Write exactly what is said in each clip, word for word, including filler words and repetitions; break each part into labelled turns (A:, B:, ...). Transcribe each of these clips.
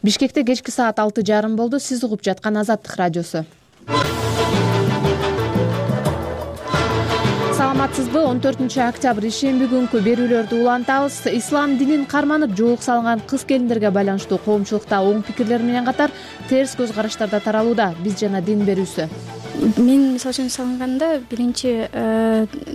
A: Бишкекте кечки саат алты жарым болду. Сиз угуп жаткан Азаттык радиосу. Саламатсызбы? он төртүнчү октябрь ишемби күнкү берүүлөрдү улантабыз. Ислам динин карманып жоолук салган кыз келиндерге байланыштуу коомчулукта оң пикирлер менен катар терс көз караштар да таралууда. Биз жана дин берүүсү.
B: Мен мисалы үчүн салганда биринчи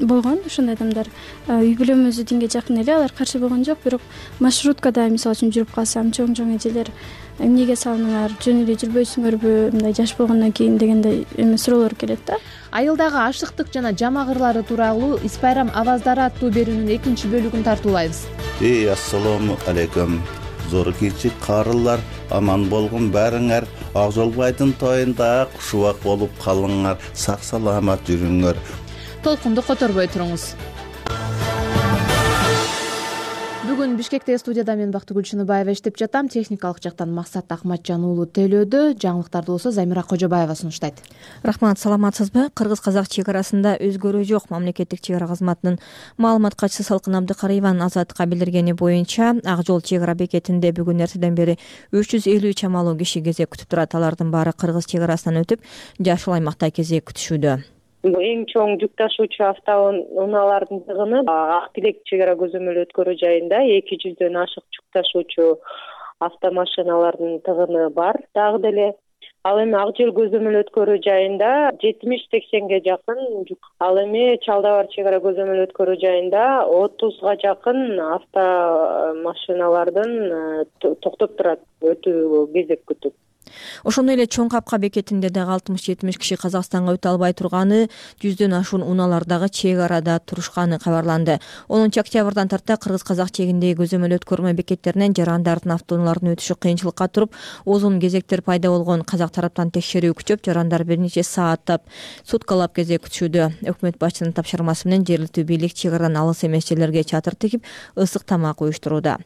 B: болгон ошондой адамдар үй бүлөмүзү динге жакын эле, алар каршы болгон жок. Бирок маршруткада мисалы үчүн жүрүп калсам, чоң-чоң эжелер эмнеге салдыңар, жөн эле жүрбөйсүңөрбү, мындай жаш болгондон кийин дегендей эме суроолор келет да.
A: Айылдагы аштыктык жана жамак ырлары тууралуу Ис Байрам аваздары аттуу берүүнүн экинчи бөлүгүн тартуулайбыз.
C: Эй, ассаламу алейкум. Зор кичик карылар, аман болгон баарыңар. Акжолбайдын тоюнда кушубак болуп калыңар, сак саламат жүрүңөр.
A: Толкунду которбой туруңуз. Бүгүн Бишкекте студияда мен Бактыгүл Чыныбаева иштеп жатам. Техникалык жактан Максат Акматжан уулу төлөөдө. Жаңылыктарды болсо Замира Кожобаева сунуштайт.
D: Рахмат, саламатсызбы? Кыргыз-казак чек арасында өзгөрүү жок. Мамлекеттик чек ара кызматынын маалымат катчысы Салкын Абдыкариеванын Азаттыкка билдиргени боюнча, Ак жол чек ара бекетинде бүгүн эртеден бери үч жүз элүү чамалуу киши кезек күтүп турат. Алардын баары Кыргыз чек арасынан өтүп, жашыл аймакта кезек күтүшүүдө.
E: Эң чоң жүк ташуучу автоунаалардын тыгыны Ак Тилек чек ара көзөмөл өткөрүү жайында эки жүздөн ашык жүк ташуучу автомашиналардын тыгыны бар. Дагы деле ал эми Ак жол көзөмөл өткөрүү жайында жетимиш сексенге жакын жүк. Ал эми Чалда бар чек ара көзөмөл өткөрүү жайында отузга жакын автомашиналардын токтоп турат, өтүүгө кезек күтүп.
D: Ошондой эле Чоң Капка бекетинде дагы алтымыш жетимиш киши Казакстанга өтө албай турганы, жүздөн ашуун унаалардагы чек арада турушканы кабарланды. онунчу октябрдан тарта Кыргыз-казак чегиндеги көзөмөл өткөрмө бекеттеринен жарандардын автоунааларынын өтүшү кыйынчылыкка туруп, узун кезектер пайда болгон. Казак тараптан текшерүү күчөп, жарандар бир нече сааттап, суткалап кезек күтүшүүдө. Өкмөт башчынын тапшырмасы менен жергиликтүү бийлик чек арадан алыс эмес жерлерге чатыр тигип, ысык тамак уюштурууда.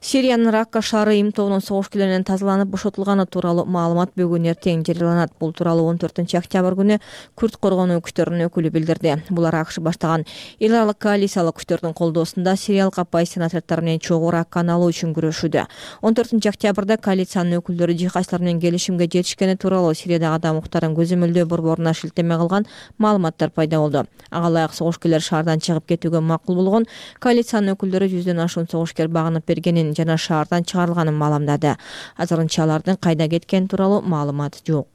D: Сириянын Ракка шаары им тобунун согуш-күлөнөн тазаланып бошотулганы тууралуу маалымат бүгүн эртең жарыяланат. Бул тууралуу он төртүнчү октябрь күнү Күрд коргонуу күчтөрүнүн өкүлү билдирди. Булар АКШ баштаган эл аралык коалициялык күчтөрдүн колдоосунда сириялык оппозицион отряддары менен чогуу Ракканы алуу үчүн күрөшүүдө. он төртүнчү октябрда коалициянын өкүлдөрү жихадчылар менен келишимге жетишкени тууралуу Сириядагы адам укуктарын көзөмөлдөө борборуна шилтеме кылган маалыматтар пайда болду. Ага ылайык согушкерлер шаардан чыгып кетүүгө макул болгон. Коалициянын өкүлдөрү жүздөн ашуун согушкер багынып бергенин жана шаардан чыгарылганын маалымдады. Азырынча алардын кайда кеткени тууралуу маалымат жок.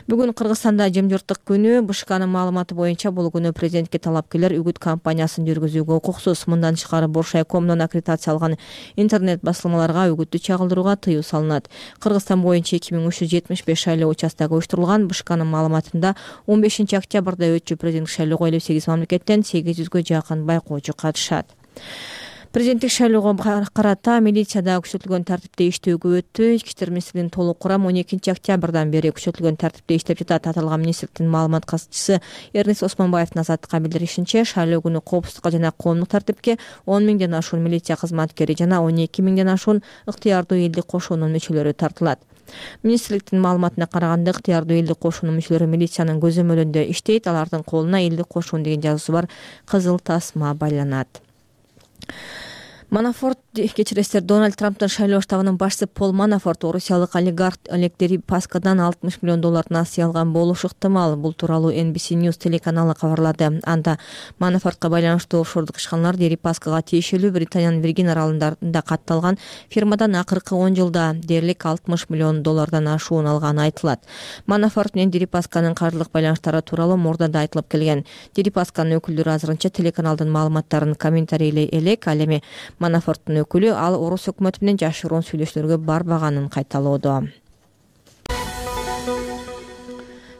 D: Бүгүн Кыргызстанда жемжорттук күнү. БШКнын маалыматы боюнча бул күнү президентке талапкерлер үгүт кампаниясын жүргүзүүгө укуксуз. Мындан тышкары Боршайкомдон аккредитация алган интернет басылмаларга үгүттү чагылдырууга тыюу салынат. Кыргызстан боюнча эки миң үч жүз жетимиш беш шайлоо участогу уюштурулган. БШКнын маалыматында он бешинчи октябрда өтчү президенттик шайлоого элүү сегиз мамлекеттен сегиз жүзгө жакын байкоочу катышат. Президенттик шайлоого карата милицияда күчөтүлгөн тартипте иштөөгө өттү. Ички иштер министрлигинин толук курам он экинчи октябрдан бери күчөтүлгөн тартипте иштеп жатат. Аталган министрликтин маалымат катчысы Эрнис Осмонбаевдин Азаттыкка билдиришинче, шайлоо күнү коопсуздукка жана коомдук тартипке он миңден ашуун милиция кызматкери жана он эки миңден ашуун ыктыярдуу элдик кошуунун мүчөлөрү тартылат. Министрликтин маалыматына караганда, ыктыярдуу элдик кошуунун мүчөлөрү милициянын көзөмөлүндө иштейт. Алардын колуна элдик кошуун деген жазуусу бар кызыл тасма байланат. Манафорт, кечиресиздер, Дональд Трамптын шайлоо штабынын башчысы Пол Манафорт орусиялык олигарх Олег Дерипаскадан алтымыш миллион доллар насыя алган болушу ыктымал. Бул тууралуу Эн Би Си News телеканалы кабарлады. Анда Манафортко байланыштуу офшордук ишканалар Дерипаскага тиешелүү Британиянын Виргин аралдарында катталган фирмадан акыркы он жылда дээрлик алтымыш миллион доллардан ашуун алганы айтылат. Манафорт менен Дерипасканын каржылык байланыштары тууралуу мурда да айтылып келген. Дерипасканын өкүлдөрү азырынча телеканалдын маалыматтарын комментарийлей элек. Ал эми Манафорттун өкүлү ал орус өкмөтү менен жашыруун сүйлөшүүлөргө барбаганын кайталоодо.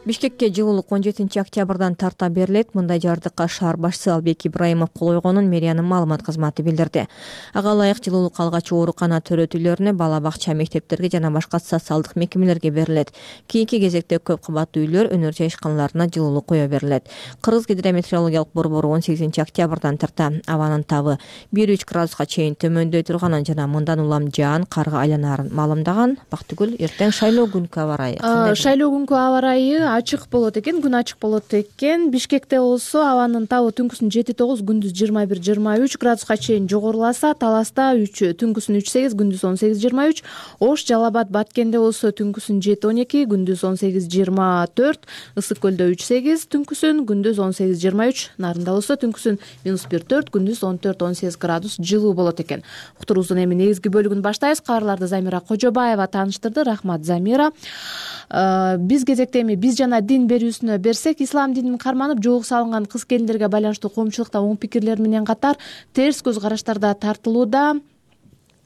D: Бишкекке жылуулук он жетинчи октябрдан тарта берилет. Мындай жардыкка шаар башчысы Албек Ибраимов кол койгонун мэриянын маалымат кызматы билдирди. Ага ылайык жылуулук алгачы оорукана төрөтүүлөрүнө, бала бакча, мектептерге жана башка социалдык мекемелерге берилет. Кийинки кезекте көп кабаттуу үйлөр, өнөр жай ишканаларына жылуулук кое берилет. Кыргыз гидрометеорологиялык борбору он сегизинчи октябрдан тарта абанын табы бир үч градуска чейин төмөндөй турганын жана мындан улам жаан, карга айланарын маалымдаган. Бактыгүл, эртең шайлоо күнкү аба ырайы.
A: Шайлоо күнкү аба ырайы ачык болот экен, күн ачык болот экен. Бишкекте болсо абанын табы түнкүсүн жети тогуз, күндүз жыйырма бир жыйырма үч градуска чейин жогоруласа, Таласта үч түнкүсүн үч сегиз, күндүз он сегиз жыйырма үч, Ош, Жалал Абад, Баткенде болсо түнкүсүн жети он эки, күндүз он сегиз жыйырма төрт, Ысык көлдө үч сегиз түнкүсүн, күндүз он сегиз жыйырма үч, Нарында болсо түнкүсүн минус бир төрт, күндүз он төрт он сегиз градус жылуу болот экен. Уктуруубуздун эми негизги бөлүгүн баштайбыз. Кабарларды Замира Кожобаева тааныштырды. Рахмат, Замира. Биз кезекте эми биз жана дин берүүсүнө берсек, ислам динин карманып жоок салынган кыз-келиндерге байланыштуу коомчулукта оң пикирлер менен катар терс көз караштарда тартылууда.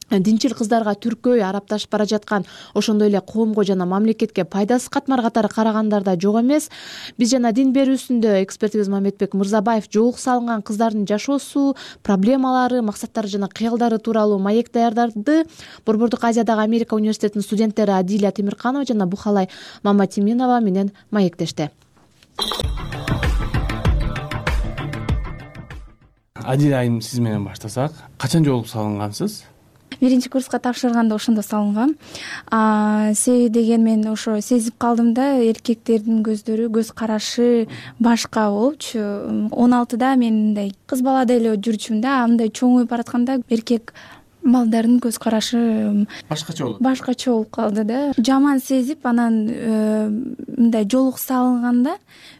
A: Динчил кыздарга түркөй арапташып бара жаткан, ошондой эле коомго жана мамлекетке пайдасыз катмар катары карагандар да жок эмес. Биз жана дин берүүсүндө экспертибиз Мамедбек Мырзабаев жоок салынган кыздардын жашоосу, проблемалары, максаттары жана кыялдары тууралуу маек даярдады. Борбордук Азиядагы Америка университетинин студенттери Адиля Темирканова жана Бухалай Маматиминова менен маектешти.
F: Адиля айым, сиз менен баштасак, качан жоолук салынгансыз?
B: Биринчи курска тапшырганда ошондо салынгам. Себеби деген мен ошо сезип калдым да, эркектердин көздөрү, көз карашы башка болупчу. он алтыда мен мындай кыз баладай эле жүрчүмүн да, мындай чоңоюп баратканда эркек балдардын көз карашы
F: башкача болот.
B: Башкача болуп калды да. Жаман сезип, анан мындай жоолук салынганда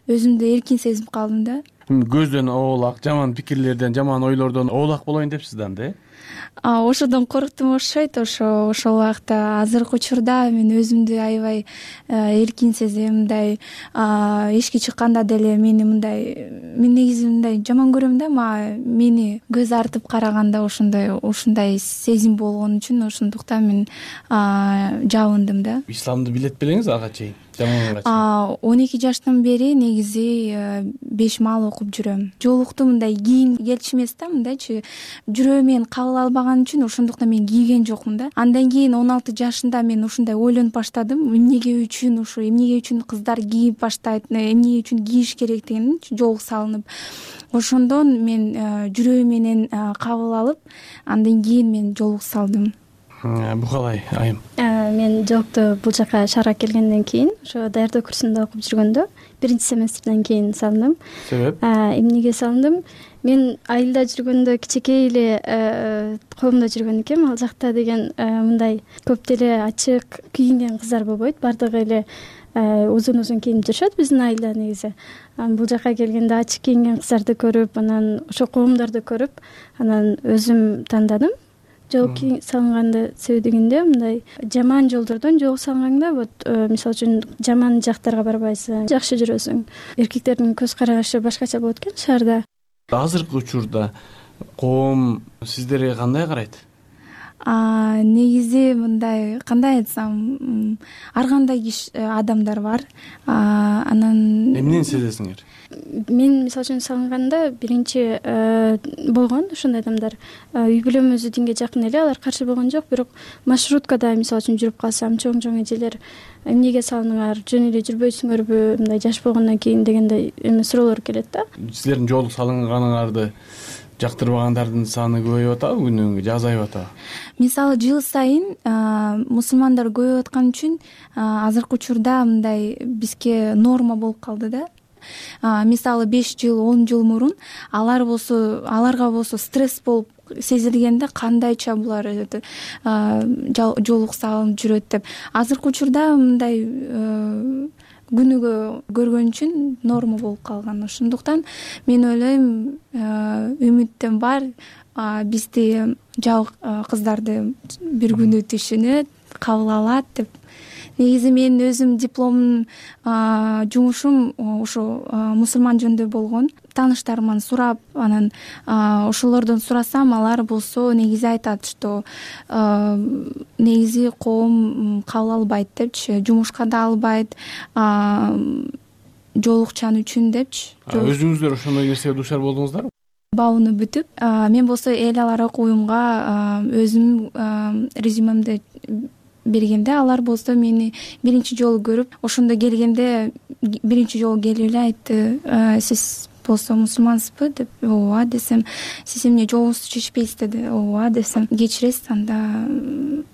B: өзүмдү эркин сезип калдым да.
F: Көздөн оолак, жаман пикирлерден, жаман ойлордон оолак болоюн депсиз да анда, э?
B: Ошодон корктум окшойт. Ошо ошол убакта азыркы учурда мен өзүмдү аябай эркин сезем. Мындай эшикке чыкканда деле мени мындай, мен негизи мындай жаман көрөм да, мага мени көз артып караганда ошондой ушундай сезим болгон үчүн ошондуктан мен жабындым да.
F: Исламды билет белеңиз ага чейин?
B: он эки жаштан бери негизи беш маал окуп жүрөм. Жоолукту мындай кийин келчү эмес да, мындайчы жүрөгүмөн кабыл албаган үчүн ошондуктан мен кийген жокмун да. Андан кийин он алты жашында мен ушундай ойлонуп баштадым. Эмнеге үчүн ушу, эмнеге үчүн кыздар кийип баштайт, эмнеге үчүн кийиш керек деген жоолук салынып. Ошондон мен жүрөгүм менен кабыл алып, андан кийин мен жоолук салдым.
F: Бухалай айым.
G: Мен жоолукту бул жака шаарга келгенден кийин, ошо даярдоо курсунда окуп жүргөндө биринчи семестрден кийин салдым.
F: Себеп?
G: Эмнеге салдым? Мен айылда жүргөндө, кичинекей эле коомдо жүргөн экенмин. Ал жакта деген мындай көп деле ачык кийинген кыздар болбойт. Бардыгы эле узун-узун кийинип жүрүшөт биздин айылда негизи. Бул жака келгенде ачык кийинген кыздарды көрүп, анан ошо коомдорду көрүп, анан өзүм тандадым. Жоолук салынганда себеби дегенде мындай жаман жолдордон жоолук салганда, вот мисалы үчүн жаман жактарга барбайсың, жакшы жүрөсүң. Эркектердин көз карашы башкача болот экен шаарда.
F: Азыркы учурда коом сиздерге кандай карайт?
B: Негизи мындай, кандай айтсам, ар кандай адамдар бар. Анан
F: эмнени сезесиңер?
G: Мен мисалы үчүн салынганда биринчи болгон ошондой адамдар. Үй бүлөмүзү динге жакын эле, алар каршы болгон жок, бирок маршруткада мисалы үчүн жүрүп калсам, чоң-чоң эжелер эмнеге салдыңар, жөн эле жүрбөйсүңөрбү, мындай жаш болгондон кийин дегендей эме суроолор келет да.
F: Силердин жоолук салынганыңарды жактырбагандардын саны көбөйүп атабы, күнөн күнгө азайып атабы?
B: Мисалы жыл сайын мусулмандар көбөйүп аткан үчүн азыркы учурда мындай бизге норма болуп калды да. Мисалы беш жыл, он жыл мурун алар болсо, аларга болсо стресс болуп сезилгенде кандайча булар жоолук салынып жүрөт деп. Азыркы учурда мындай күнүгө көргөн үчүн норма болуп калган. Ошондуктан мен ойлойм, үмүттөн бар, бизди жабык кыздарды бир күнү түшүнөт, кабыл алат деп. Негизи мен өзүм дипломдун жумушум ошо мусулман жөнүндө болгон. Тааныштарыман сурап, анан ошолордон сурасам, алар болсо негизи айтат, что негизи коом кабыл албайт депчи, жумушка да албайт, жоолукчан үчүн депчи.
F: Өзүңүздөр ошондой нерсеге дуушар болдуңуздарбы?
B: Бабыны бүтүп, мен болсо эл аларак уюмга өзүм резюмемди бергенде, алар болсо мени биринчи жолу көрүп, ошондо келгенде биринчи жолу келип эле айтты, сиз болсо мусулмансызбы деп. Ооба десем, сиз эмне жолуңузду чечпейсиз деди. Ооба десем, кечиресиз, анда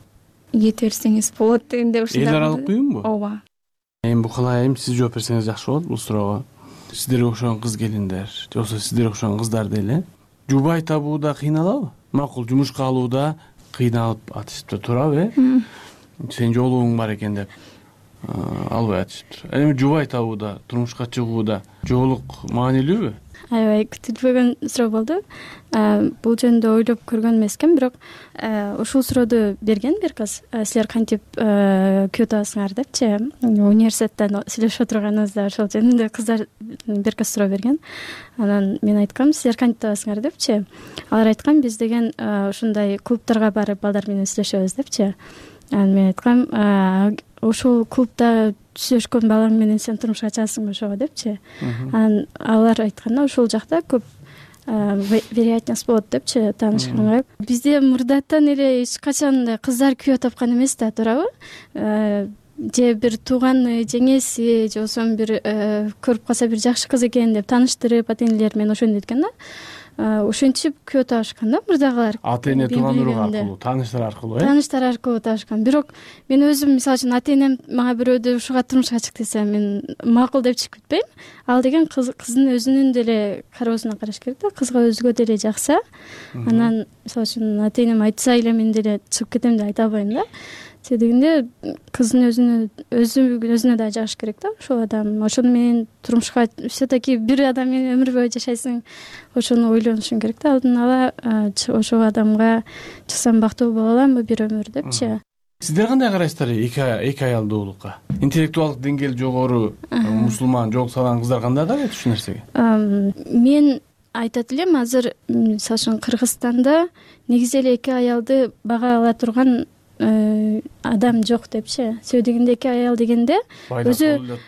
B: кете берсеңиз болот дегенде ушундай.
F: Эл аралык уюмбу?
B: Ооба.
F: эми Букалай айым сиз жооп берсеңиз жакшы болот бул суроого. Сиздерге окшогон кыз келиндер же болбосо сиздерге окшогон кыздар деле жубай табууда кыйналабы? Макул, жумушка алууда кыйналып атышыптыр, туурабы? э Сенин жолугуң бар экен деп албай атышыптыр. Эми жубай табууда, турмушка чыгууда жоолук маанилүүбү?
B: Аябай күтүлбөгөн суроо болду. Бул жөнүндө ойлоп көргөн эмесмин, бирок ушул сурооду берген бир кыз. Силер кантип күйөө табасыңар депчи, университеттен сүйлөшүп отурганыбызда ошол жөнүндө кыздар бир кыз суроо берген. Анан мен айткам, силер кантип табасыңар депчи. Алар айткан, биз деген ушундай клубдарга барып балдар менен сүйлөшөбүз депчи. Анан мен айткам, ушул клубда сүйлөшкөн балаң менен сен турмушка чыгасыңбы ошого депчи. Анан алар айтканда ушул жакта көп вероятность болот депчи таанышканга. Бизде мурдатан эле эч качан кыздар күйөө тапкан эмес да, туурабы? Же бир тууганы, жеңеси, же болбосо бир көрүп калса бир жакшы кыз экен деп тааныштырып, ата-энелер менен ошентип эткен да. Ошентип күйөө табышкан да мурдагылар.
F: Ата-эне туугандары аркылуу, тааныштар аркылуу, э?
B: Тааныштар аркылуу табышкан. Бирок мен өзүм, мисалы үчүн, ата-энем мага бирөөдө ушуга турмушка чык десе, мен макул деп чыгып кетпейм. Ал деген кыздын өзүнүн деле кароосуна караш керек да, кызга өзгө деле жакса. Анан, мисалы үчүн, ата-энем айтса эле мен деле чыгып кетем деп айта албайм да. Себеби дегенде кыздын өзүнө өзү өзүнө да жагыш керек да ошол адам. Ошону менен турмушка все-таки бир адам менен өмүр бою жашайсың, ошону ойлонушуң керек да. Алдын ала ошол адамга чыксам бактылуу боло аламбы бир өмүр депчи.
F: Сиздер кандай карайсыздар эки эки аялдуулукка? Интеллектуалдык деңгээли жогору мусулман жоолук салган кыздар кандай карайт ушул нерсеге?
B: Мен айтат элем, азыр мисалы үчүн Кыргызстанда негизи эле эки аялды бага ала турган адам жок депчи. Себеби дегенде эки аял дегенде өзү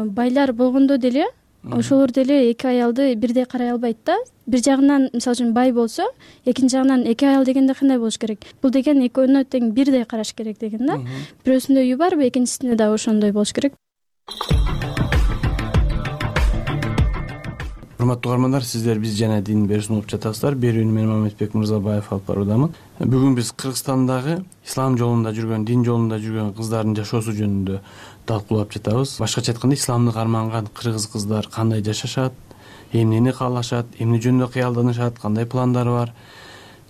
B: байлар болгондо деле ошолор деле эки аялды бирдей карай албайт да. Бир жагынан мисалы үчүн бай болсо, экинчи жагынан эки аял дегенде кандай болуш керек? Бул деген экөөнө тең бирдей караш керек деген да. Бирөөсүндө үйү барбы, экинчисинде да ошондой болуш керек.
F: Урматтуу угармандар, сиздер биз жана дин берүүсүн угуп жатасыздар. Берүүнү мен Мамедбек Мырзабаев алып баруудамын. Бүгүн биз Кыргызстандагы ислам жолунда жүргөн, дин жолунда жүргөн кыздардын жашоосу жөнүндө талкуулап жатабыз. Башкача айтканда, исламды карманган кыргыз кыздар кандай жашашат, эмнени каалашат, эмне жөнүндө кыялданышат, кандай пландары бар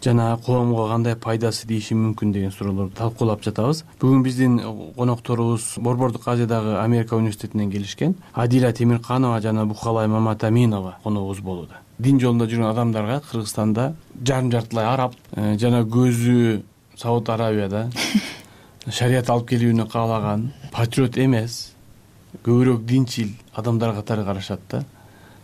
F: жана коомго кандай пайдасы тийиши мүмкүн деген суроолорду талкуулап жатабыз. Бүгүн биздин конокторубуз Борбордук Азиядагы Америка университетинен келишкен Адиля Темирканова жана Букалай Маматаминова коногубуз болууда. Дин жолунда жүргөн адамдарга Кыргызстанда жарым жартылай араб жана көзү Сауд Арабияда шарият алып келүүнү каалаган патриот эмес, көбүрөөк динчил адамдар катары карашат да.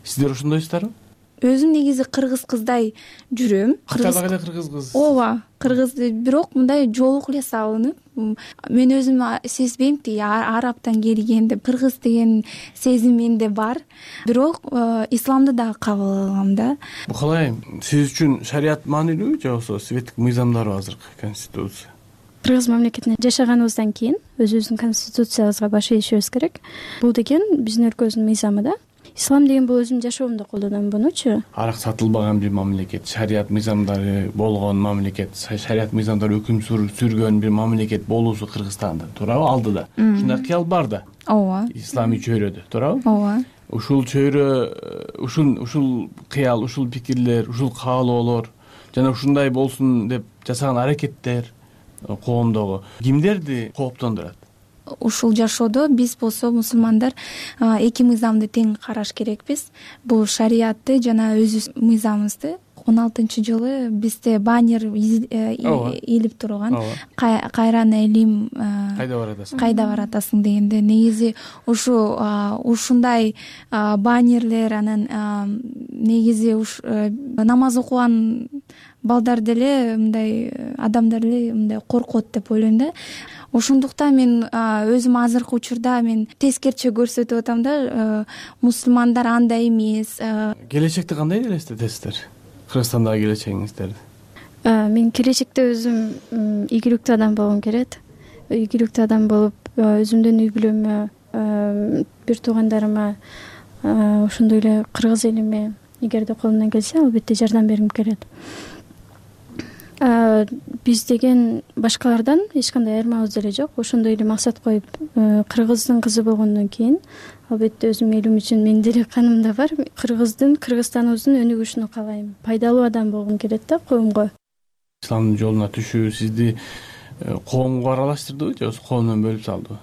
F: Сиздер ошондойсуздарбы?
H: Өзүм негизи кыргыз кыздай жүрөм.
F: Кыргыз эле кыргыз кыз.
H: Ооба, кыргыз, бирок мындай жоолук эле салынып, мен өзүм сезбейм тиги арабтан келген деп. Кыргыз деген сезим менде бар. Бирок исламды дагы кабыл алгам да.
F: Букалай, сиз үчүн шарият маанилүүбү же болбосо светтик мыйзамдар азыркы конституция?
B: Кыргыз мамлекетинде жашаганыбыздан кийин өзүбүздүн конституциябызга баш ийишибиз керек. Бул деген биздин өлкөбүздүн мыйзамы да. Ислам деген бул өзүм жашоомдо колдоном бунучу.
F: Арак сатылбаган бир мамлекет, шарият мыйзамдары болгон мамлекет, шарият мыйзамдары өкүм сүргөн бир мамлекет болуусу Кыргызстанда, туурабы? Алдыда. Ушундай кыял бар да.
H: Ооба.
F: Исламий чөйрөдө, туурабы?
H: Ооба.
F: Ушул чөйрө, ушул ушул кыял, ушул пикирлер, ушул каалоолор жана ушундай болсун деп жасаган аракеттер коомдогу кимдерди кооптондурат?
H: Ушул жашоодо биз болсо мусулмандар эки мыйзамды тең караш керекпиз. Бул шариятты жана өз мыйзамыбызды. он алтынчы жылы бизде баннер илип турган кайран элим
F: кайда баратасың?
H: Кайда баратасың дегенде негизи ушу ушундай баннерлер анан негизи уш намаз окуган балдар деле мындай адамдар эле мындай коркот деп ойлойм да. Ошондуктан мен өзүм азыркы учурда мен тескерче көрсөтүп атам да, мусулмандар андай эмес.
F: Келечекте кандай элестетесиздер? Кыргызстандагы келечегиңиздерди?
B: Мен келечекте өзүм ийгиликтүү адам болгум келет. Ийгиликтүү адам болуп, өзүмдүн үй бүлөмө, бир туугандарыма, ошондой эле кыргыз элиме эгерде колумдан келсе, албетте жардам бергим келет. биз деген башкалардан эч кандай айырмабыз деле жок. Ошондой эле максат коюп, кыргыздын кызы болгондон кийин албетте өзүм элим үчүн менин деле канымда бар. Кыргыздын, Кыргызстаныбыздын өнүгүшүнө каалайм. Пайдалуу адам болгум келет да коомго.
F: Исламдын жолуна түшүү сизди коомго аралаштырдыбы же коомдон бөлүп салдыбы?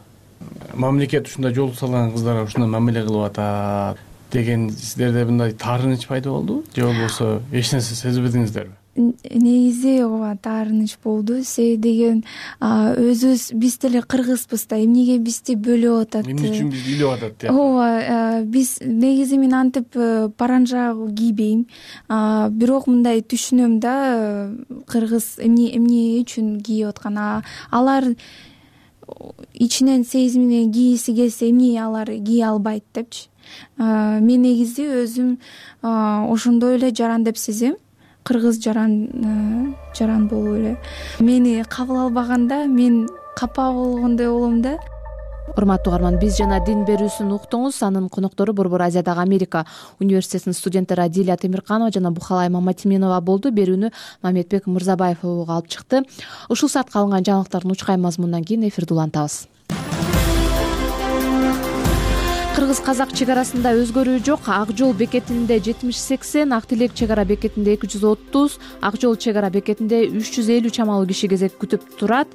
F: Мамлекет ушундай жол салган кыздарга ушундай мамиле кылып атат деген сиздерде мындай таарыныч пайда болдубу же болбосо эч нерсе сезбедиңиздерби?
H: Негизи ооба таарыныч болду. Себеби деген өзүбүз биз деле кыргызбыз да, эмнеге бизди бөлүп атат?
F: Эмне үчүн бизди үйлөп атат деп?
H: Ооба, биз негизи мен антип паранжа кийбейм. Бирок мындай түшүнөм да, кыргыз эмне эмне үчүн кийип аткан. Алар ичинен сезим менен кийиси келсе эмне алар кие албайт депчи. Мен негизи өзүм ошондой эле жаран деп сезем. Кыргыз жаран жаран болуп эле мени кабыл албаганда мен капа болгондой болом да.
A: Урматтуу угарман, биз жана дин берүүсүн уктуңуз. Анын коноктору Борбор Азиядагы Америка университетинин студенттери Адилия Темирканова жана Бухалай Маматименова болду. Берүүнү Мамедбек Мырзабаев алып чыкты. Ушул саатка алынган жаңылыктардын учкай мазмунунан кийин эфирди улантабыз. Кыргыз-казак чек арасында өзгөрүү жок. Ак жол бекетинде жетимиш сексен, Ак Тилек чек ара бекетинде эки жүз отуз, Ак жол чек ара бекетинде үч жүз элүү чамалуу киши кезек күтүп турат.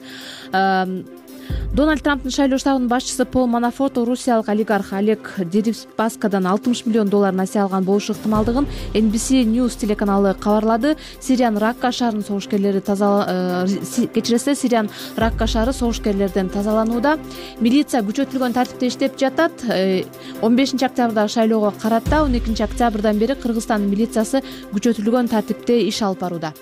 A: Дональд Трамптын шайлоо штабынын башчысы Пол Манафорт орусиялык олигарх Олег Дерипаскадан алтымыш миллион доллар насыя алган болушу ыктымалдыгын Эн Би Си News телеканалы кабарлады. Сириянын Ракка шаарынын согушкерлери таза кечиресиз, Сириянын Ракка шаары согушкерлерден тазаланууда. Милиция күчөтүлгөн тартипте иштеп жатат. он бешинчи октябрдагы шайлоого карата он экинчи октябрдан бери Кыргызстандын милициясы күчөтүлгөн тартипте иш алып барууда.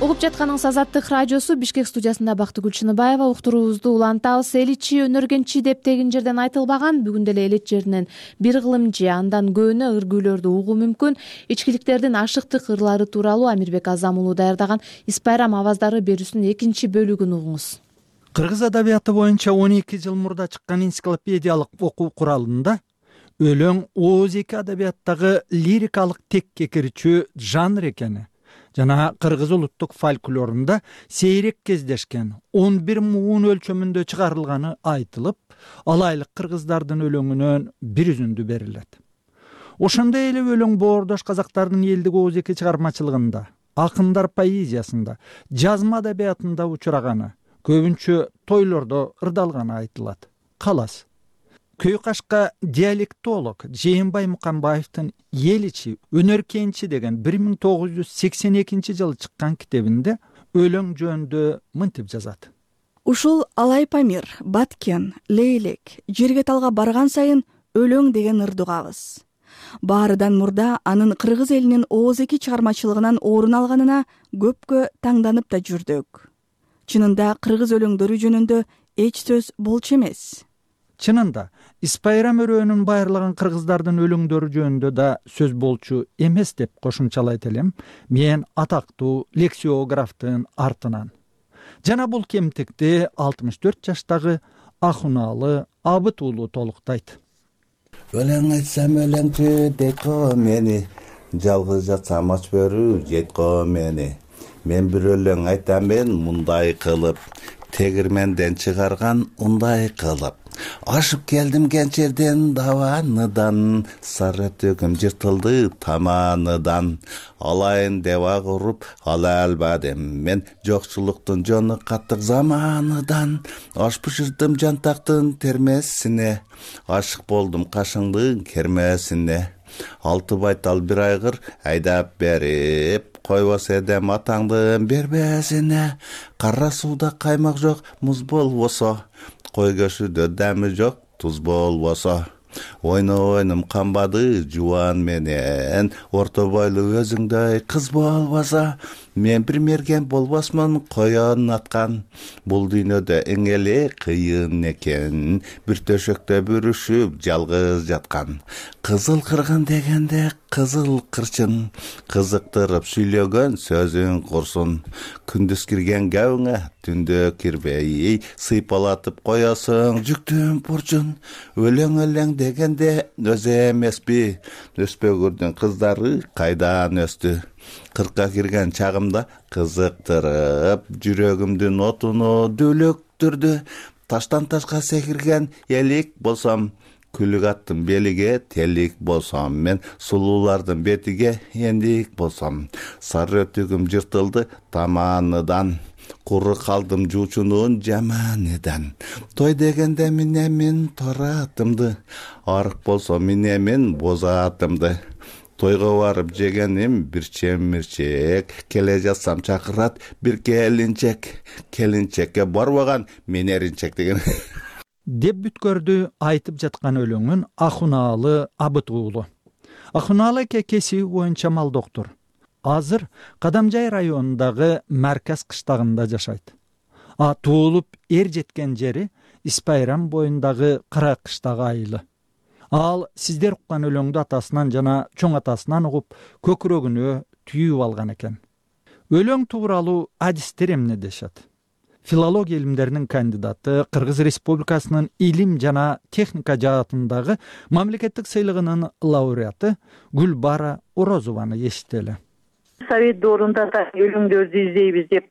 A: Угуп жатканыңыз Азаттык радиосу. Бишкек студиясында Бактыгүл Чыныбаева. Уктуруубузду улантабыз. Эличи, өнөргенчи деп тегин жерден айтылбаган. Бүгүн деле элет жеринен бир кылымчы, андан көбүнө ыргүүлөрдү угуу мүмкүн. Ичкиликтердин ашыктык ырлары тууралуу Амирбек Азам уулу даярдаган Испайрам аваздары берүүсүнүн экинчи бөлүгүн угуңуз.
I: Кыргыз адабияты боюнча он эки жыл мурда чыккан энциклопедиялык окуу куралында өлөң Оз эки адабияттагы лирикалык текке кирчү жанр экени жана кыргыз улуттук фольклорунда сейрек кездешкен он бир муун өлчөмүндө чыгарылганы айтылып, алайлык кыргыздардын өлөңүнөн бир үзүндү берилет. Ошондой эле өлөң боордош казактардын элдик Оз эки чыгармачылыгында, акындар поэзиясында, жазма адабиятында учураганы, көбүнчө тойлордо ырдалганы айтылат. Калас. Күйкашка диалектолог Жээнбай Мукамбаевдин Эличи, өнөркенчи деген бир миң тогуз жүз сексен экинчи жылы чыккан китебинде өлөң жөнүндө мынтип жазат.
J: Ушул Алай Памир, Баткен, Лейлек жерге талга барган сайын өлөң деген ырды угабыз. Баарыдан мурда анын кыргыз элинин Оз эки чыгармачылыгынан орун алганына көпкө таңданып да жүрдүк. Чынында кыргыз өлөңдөрү жөнүндө эч сөз болчу эмес.
I: Чынында Испайрам өрөөнүн байырлаган кыргыздардын өлөңдөрү жөнүндө да сөз болчу эмес деп кошумчалайт элем мен атактуу лексиографтын артынан. Жана бул кемтикти алтымыш төрт жаштагы Ахунаалы Абыт уулу толуктайт.
C: Өлең айтсам өлеңчү дейко мени, жалгыз жатсам ач бөрү жетко мени. Мен бир өлең айтам мен мындай кылып, тегирменден чыгарган ундай кылып. Ашып келдим кенчерден даваныдан, сары төгүм жыртылды таманыдан. Алайын деп ак уруп ала албадым мен, жокчулуктун жону каттык заманыдан. Аш бышырдым жантактын термесине, ашык болдум кашыңдын кермесине. Алты байтал бир айгыр айдап берип, койбос эдем атаңдын бербесине. Кара сууда каймак жок муз болбосо, кой көшүдө дәми жок туз болбосо. Ойно ойнум камбады жубан менен, орто бойлуу өзүңдөй кыз болбосо. мен бир мерген болбосмун коен аткан, бул дүйнөдө эң эле кыйын экен, бир төшөктө бүрүшүп жалгыз жаткан. Кызыл кыргын дегенде кызыл кырчын, кызыктырып сүйлөгөн сөзүң курсун. Күндүз кирген габыңа түндө кирбей, сыйпалатып коесуң жүктүн бурчун. Өлең өлең дегенде өзү эмеспи, өспөгүрдүн кыздары кайдан өстү. Кыркка кирген чагымда кызыктырып, жүрөгүмдүн отуну дүлүктүрдү. Таштан ташка секирген элик болсом, күлүк аттын белиге телик болсом, мен сулуулардын бетиге эндик болсом. Сары өтүгүм жыртылды таманыдан, куру калдым жуучунун жаманыдан. Той дегенде минемин торатымды, арык болсо минемин бозатымды. Тойго барып жегеним бир чемирчек, келе жатсам чакырат бир келинчек, келинчекке барбаган мен эринчек деген.
I: Деп бүткөрдү айтып жаткан өлөңүн Акунаалы Абыт уулу. Акунаалы эке кесиби боюнча мал доктур. Азыр Кадамжай районундагы Марказ кыштагында жашайт. А туулуп эр жеткен жери Испайрам боюндагы Кара кыштагы айылы. Ал сиздер уккан өлөңдү атасынан жана чоң атасынан угуп, көкүрөгүнө түйүп алган экен. Өлөң тууралуу адистер эмне дешет? Филология илимдеринин кандидаты, Кыргыз Республикасынын илим жана техника жаатындагы мамлекеттик сыйлыгынын лауреаты Гүлбара Орозованы эситтели.
K: Совет доорунда да өлөңдөрдү издейбиз деп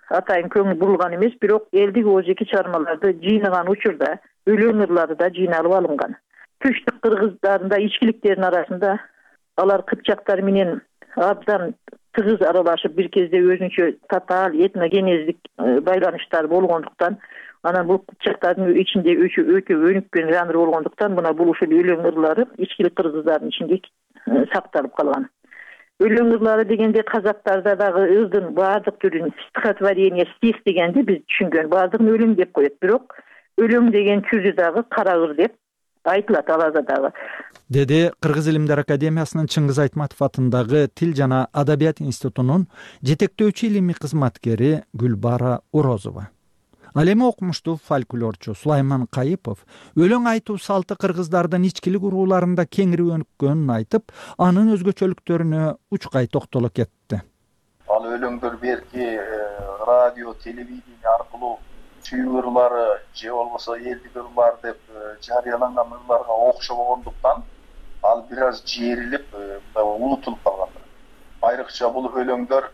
K: атайын көңүл бурулган эмес, бирок элдик оозеки чыгармаларды жыйнаган учурда өлөң ырлары да жыйналып алынган. Түштүк кыргыздардын да ичкиликтеринин арасында алар кыпчактар менен абдан тыгыз аралашып, бир кезде өзүнчө татаал этногенездик байланыштар болгондуктан, анан бул кыпчактардын ичинде өтө өнүккөн жанр болгондуктан, мына бул ушул өлөң ырлары ичкилик кыргыздардын ичинде сакталып калган. Өлөң ырлары дегенде казактарда дагы ырдын баардык түрүн стихотворение, стих дегенди биз түшүнгөн, баардыгын өлөң деп коет. Бирок өлөң деген түрү дагы кара ыр деп айтылат аларда дагы.
I: Деди Кыргыз илимдер академиясынын Чыңгыз Айтматов атындагы Тил жана Адабият институтунун жетектөөчү илимий кызматкери Гүлбара Орозова. Ал эми окумуштуу фольклорчу Сулайман Кайыпов өлөң айтуу салты кыргыздардын ичкилик урууларында кеңири өнүккөнүн айтып, анын өзгөчөлүктөрүнө учкай токтоло кетти.
L: Ал өлөңдөр берки радио, телевидение аркылуу сүйүү ырлары же болбосо элдик ырлар деп жарыяланган ырларга окшобогондуктан ал бир аз жээрилип, унутулуп калган. Айрыкча бул өлөңдөр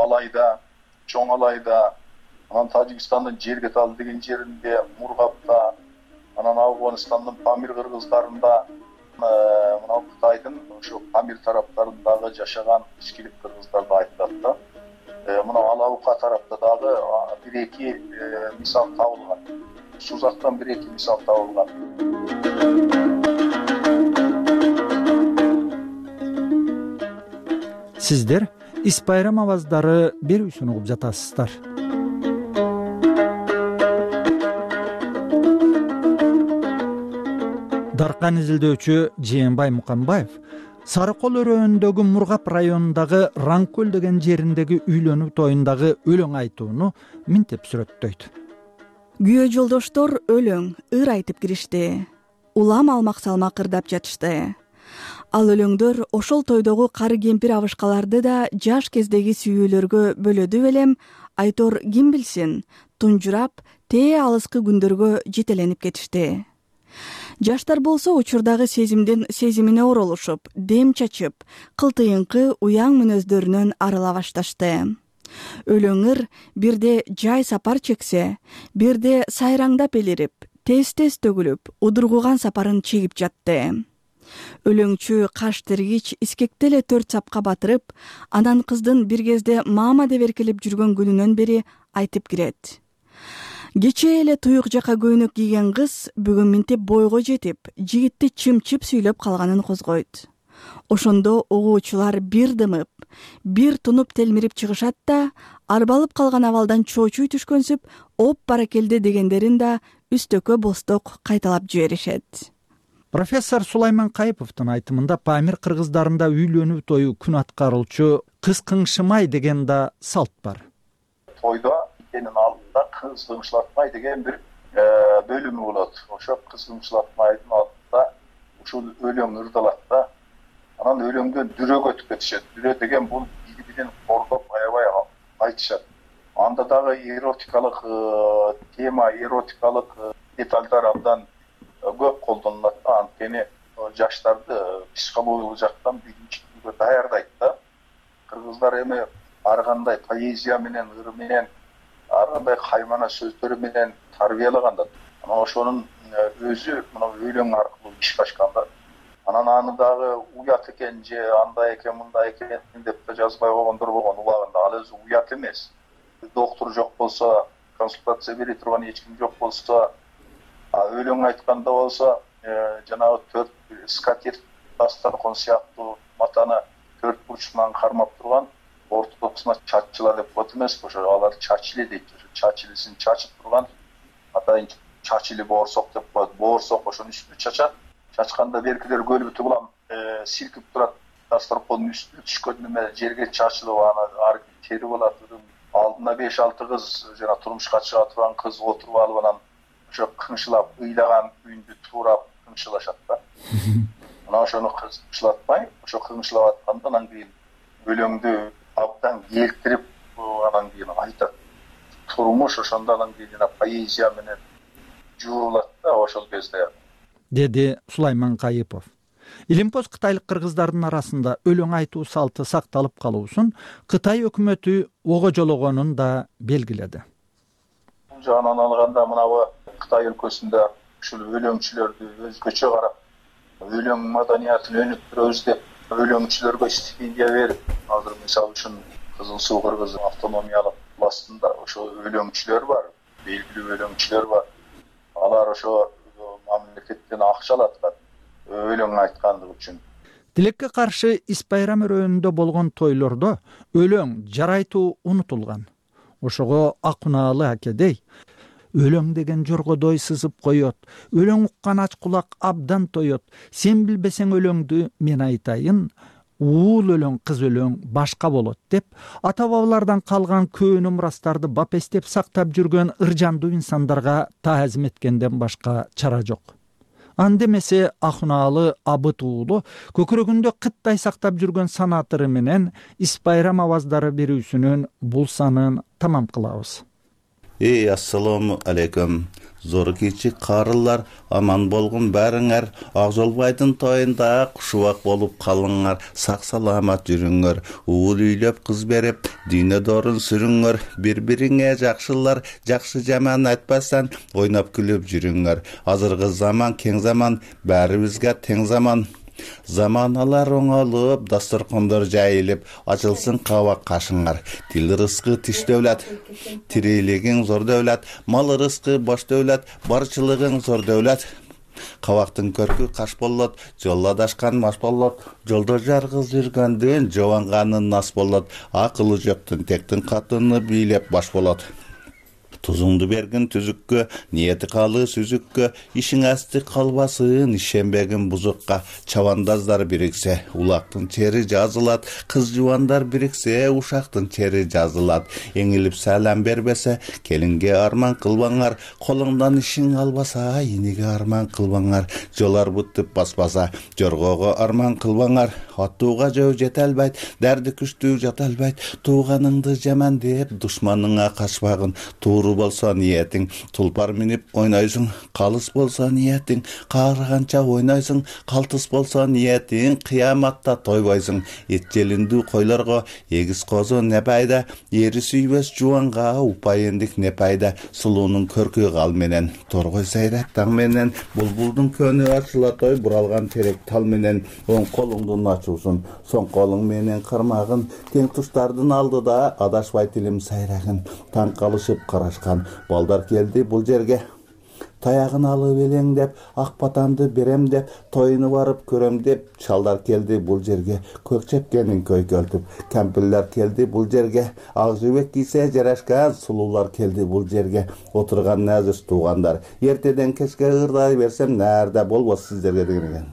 L: Алайда, Чоң Алайда, анан Тажикстандын Жергетал деген жеринде, Мургапта, анан Афганистандын Памир кыргыздарында, мына Кытайдын ошо Памир тараптарындагы жашаган ичкилик кыргыздарды айтылат да. Мына Алаука тарапта дагы бир-эки мисал табылган. Сузактан бир-эки мисал табылган.
I: Сиздер Испайрам аваздары берүүсүн угуп жатасыздар. Даркан изилдөөчү Жээнбай Мукамбаев Сары кол өрөөнүндөгү Мургап районундагы Раңкөл деген жериндеги үйлөнүү тоюндагы өлөң айтууну минтеп сүрөттөйт.
J: Күйөө жолдоштор өлөң, ыр айтып киришти. Улам алмак салмак ырдап жатышты. Ал өлөңдөр ошол тойдогу кары кемпир абышкаларды да жаш кездеги сүйүүлөргө бөлөдү белем, айтор ким билсин, тунжурап, тээ алыскы күндөргө жетеленип кетишти. Жаштар болсо учурдагы сезимдин сезимине оролушуп, дем чачып, кылтыйынкы уяң мүнөздөрүнөн арыла башташты. Өлөң-ыр бирде жай сапар чексе, бирде сайраңдап элирип, тез-тез төгүлүп, удургуган сапарын чегип жатты. Өлөңчү каш тергич искекте эле төрт сапка батырып, анан кыздын бир кезде мама деп эркелеп жүргөн күнүнөн бери айтып кирет. Кечээ эле туюк жака көйнөк кийген кыз бүгүн минтип бойго жетип, жигитти чымчып сүйлөп калганын козгойт. Ошондо угуучулар бир дымып, бир тунуп телмирип чыгышат да, арбалып калган абалдан чоочуй түшкөнсүп, оп баракелде дегендерин да үстөккө босток кайталап жиберишет.
I: профессор Сулайман Кайыповдун айтымында Памир кыргыздарында үйлөнүү тою күн аткарылчу кыз кыңшымай деген да салт бар.
L: Тойдо экенин алдында кыз кыңшылатмай деген бир бөлүмү болот. Ошо кыз кыңшылатмайдын алдында ушул өлөң ырдалат да. Анан өлөңдөн дүрөгө өтүп кетишет. Дүрө деген бул бири-бирин коргоп аябай айтышат. Анда дагы эротикалык тема, эротикалык детальдар абдан көп колдонулат. Анткени жаштарды психологиялык жактан билимчиликке даярдайт да. Кыргыздар эми ар кандай поэзия менен, ыр менен, ар кандай каймана сөздөрү менен тарбиялаганда, анан ошонун өзү мына өлөң аркылуу ишке ашканда, анан аны дагы уят экен же андай экен, мындай экен деп да жазбай койгондор болгон убагында. Ал өзү уят эмес. Доктор жок болсо, консультация бере турган эч ким жок болсо, өлөң айтканда болсо, жанагы төрт скатерть дасторкон сыяктуу матаны төрт бурчунан кармап турган ортосуна чаччыла деп коет эмеспи? Ошо алар чачили дейт. Ошо чачилисин чачып турган атайын чачили боорсок деп коет. Боорсок ошонун үстүнө чачат. Чачканда беркилер көлбүтү булам силкип турат. Дасторкондун үстүнө түшкөн неме жерге чачылып, аны ар ким тери болот. Алдына беш алты кыз, жана турмушка чыга турган кыз отуруп алып, анан ошо кыңшылап, ыйлаган күйүндү туурап кыңшылашат да. Мына ошону кыңшылатпай, ошо кыңшылап атканда анан кийин өлөңдү абдан келтирип, анан кийин айтат. Турмуш ошондо анан кийин жана поэзия менен жуулат да ошол кезде,
I: деди Сулайман Кайыпов. Илимпоз кытайлык кыргыздардын арасында өлөң айтуу салты сакталып калуусун Кытай өкмөтү огожологонун да белгиледи.
L: Бул жагынан алганда мынабу Кытай өлкөсүндө ушул өлөңчүлөрдү өзгөчө карап, өлөң маданиятын өнүктүрөбүз деп өлөңчүлөргө стипендия берип, азыр мисалы үчүн Кызыл Суу кыргыз автономиялык областында ошо өлөңчүлөр бар, белгилүү өлөңчүлөр бар. Алар ошо мамлекеттен акча алат өлөң айткандыгы үчүн.
I: Тилекке каршы Ис байрам өрөөнүндө болгон тойлордо өлөң жарайтуу унутулган. Ошого Акунаалы акедей өлөң деген жоргодой сызып коет, өлөң уккан ач кулак абдан тоет, сен билбесең өлөңдү мен айтайын, уул өлөң кыз өлөң башка болот деп ата бабалардан калган көөнү мурастарды бапестеп сактап жүргөн ыржандуу инсандарга таазим эткенден башка чара жок. Андемесе Акунаалы Абыт уулу көкүрөгүндө кыттай сактап жүргөн санатыры менен Ис байрам аваздары берүүсүнүн бул санын тамам кылабыз.
C: Эй, ассаламу алейкум. Зор кичик карылар, аман болгон баарыңар. Акжолбайдын тоюнда кушубак болуп калыңар. Сак саламат жүрүңөр. Уул үйлөп кыз берип, дүйнө доорун сүрүңөр. Бири-бириңе жакшылар, жакшы жаман айтпастан ойноп күлүп жүрүңөр. Азыркы заман кең заман, баарыбызга тең заман. Заманалар оңолуп, дасторкондор жайылып, ачылсын кабак кашыңар. Тил рызкы тиш дөөлөт, тирилигиң зор дөөлөт, мал рызкы бош дөөлөт, барчылыгың зор дөөлөт. Кабактын көркү каш болот, жолдо адашкан маш болот, жолдо жаргыз жүргөндүн жобанганын нас болот, акылы жоктун тектин катыны бийлеп баш болот. Тузуңду бергин түзүккө, ниети калы сүзүккө, ишиң асты калбасын, ишенбегин бузукка. Чабандаздар бириксе, улактын чери жазылат, кыз жубандар бириксе, ушактын чери жазылат. Эңилип салам бербесе, келинге арман кылбаңар, колуңдан ишиң албаса, иниге арман кылбаңар. Жол арбытып баспаса, жоргого арман кылбаңар. Аттууга жөө жете албайт, дәрди күчтүү жата албайт, тууганыңды жаман деп душманыңа качпагын. Тууру болсо ниетиң, тулпар минип ойнойсуң, калыс болсо ниетиң, каарыганча ойнойсуң, калтыс болсо ниетиң, кыяматта тойбойсуң. Эт желиндүү койлорго эгиз козу не пайда, ери сүйбөс жубанга упайындык не пайда. Сулуунун көркү кал менен, торгой сайрак таң менен, булбулдун көнү ачылатой буралган терек тал менен, оң колуңдун ачуусун, соң колуң менен кармагын, тең туштардын алдыда адашбай тилим сайрагын. Таң калышып карашкан балдар келди бул жерге, таягын алып элең деп, ак батамды берем деп, тоюну барып көрөм деп, чалдар келди бул жерге, көк чепкенин көйкөлтүп, кемпирлер келди бул жерге, ак жибек кийсе жарашкан сулуулар келди бул жерге, отурган назис туугандар, эртеден кечке ырдай берсем нээрде болбос сиздерге деген экен.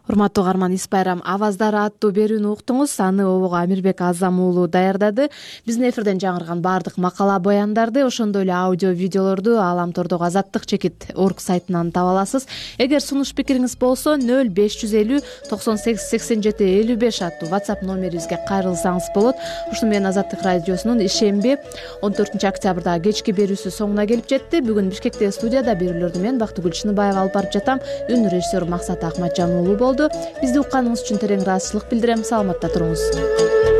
A: Урматтуу угарман, Ис Байрам аваздары аттуу берүүнү уктуңуз. Аны обого Амирбек Азам уулу даярдады. Биздин эфирден жаңырган баардык макала баяндарды, ошондой эле аудио видеолорду Ааламтордогу Азаттык чекит орг сайтынан таба аласыз. Эгер сунуш пикириңиз болсо нөл беш жүз элүү токсон сегиз сексен жети элүү беш аттуу WhatsApp номерибизге кайрылсаңыз болот. Ушуну менен Азаттык радиосунун ишемби он төртүнчү октябрдагы кечки берүүсү соңуна келип жетти. Бүгүн Бишкектеги студияда берүүлөрдү мен Бактыгүл Чыныбаева алып барып жатам. Үн режиссер Максат Акматжан уулу болду. Бизди укканыңыз үчүн терең ыраазычылык билдирем. Саламатта туруңуз.